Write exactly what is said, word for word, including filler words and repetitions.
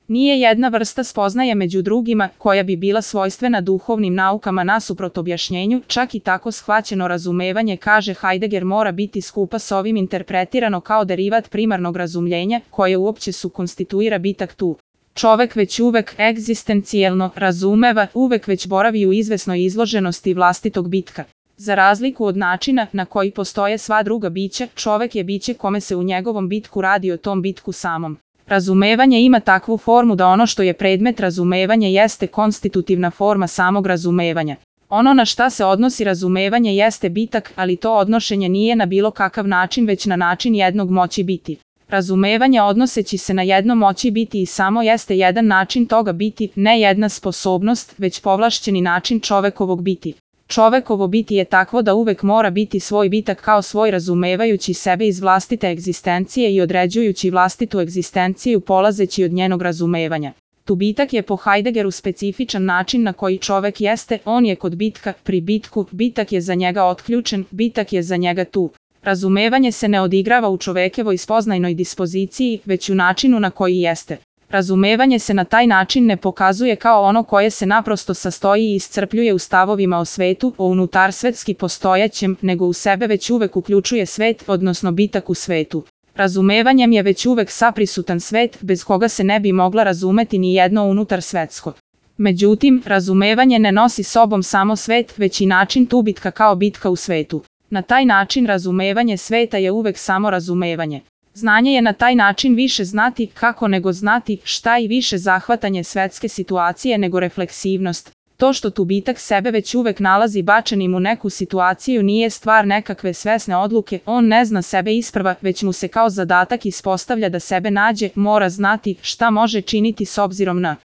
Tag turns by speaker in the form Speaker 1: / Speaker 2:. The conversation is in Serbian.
Speaker 1: Nije jedna vrsta spoznaje među drugima koja bi bila svojstvena duhovnim naukama nasuprot objašnjenju, čak i tako shvaćeno razumevanje, kaže Heidegger, mora biti skupa s ovim interpretirano kao derivat primarnog razumljenja, koje uopće sukonstituira bitak tu. Čovek već uvek egzistencijelno razumeva, uvek već boravi u izvesnoj izloženosti vlastitog bitka. Za razliku od načina na koji postoje sva druga bića, čovek je biće kome se u njegovom bitku radi o tom bitku samom. Razumevanje ima takvu formu da ono što je predmet razumevanja jeste konstitutivna forma samog razumevanja. Ono na šta se odnosi razumevanje jeste bitak, ali to odnošenje nije na bilo kakav način, već na način jednog moći biti. Razumevanje odnoseći se na jedno moći biti i samo jeste jedan način toga biti, ne jedna sposobnost, već povlašćeni način čovekovog biti. Čovekovo biti je takvo da uvek mora biti svoj bitak kao svoj, razumevajući sebe iz vlastite egzistencije i određujući vlastitu egzistenciju polazeći od njenog razumevanja. Tu bitak je po Heideggeru specifičan način na koji čovek jeste, on je kod bitka, pri bitku, bitak je za njega otključen, bitak je za njega tu. Razumevanje se ne odigrava u čovekevoj spoznajnoj dispoziciji, već u načinu na koji jeste. Razumevanje se na taj način ne pokazuje kao ono koje se naprosto sastoji i iscrpljuje u stavovima o svetu, o unutarsvetski postojećem, nego u sebe već uvek uključuje svet, odnosno bitak u svetu. Razumevanjem je već uvek saprisutan svet, bez koga se ne bi mogla razumeti ni jedno unutar svetsko. Međutim, razumevanje ne nosi sobom samo svet, već i način tu bitka kao bitka u svetu. Na taj način razumevanje sveta je uvek samo razumevanje. Znanje je na taj način više znati kako nego znati šta i više zahvatanje svetske situacije nego refleksivnost. To što tu bitak sebe već uvek nalazi bačenim u neku situaciju nije stvar nekakve svesne odluke, on ne zna sebe isprva, već mu se kao zadatak ispostavlja da sebe nađe, mora znati šta može činiti s obzirom na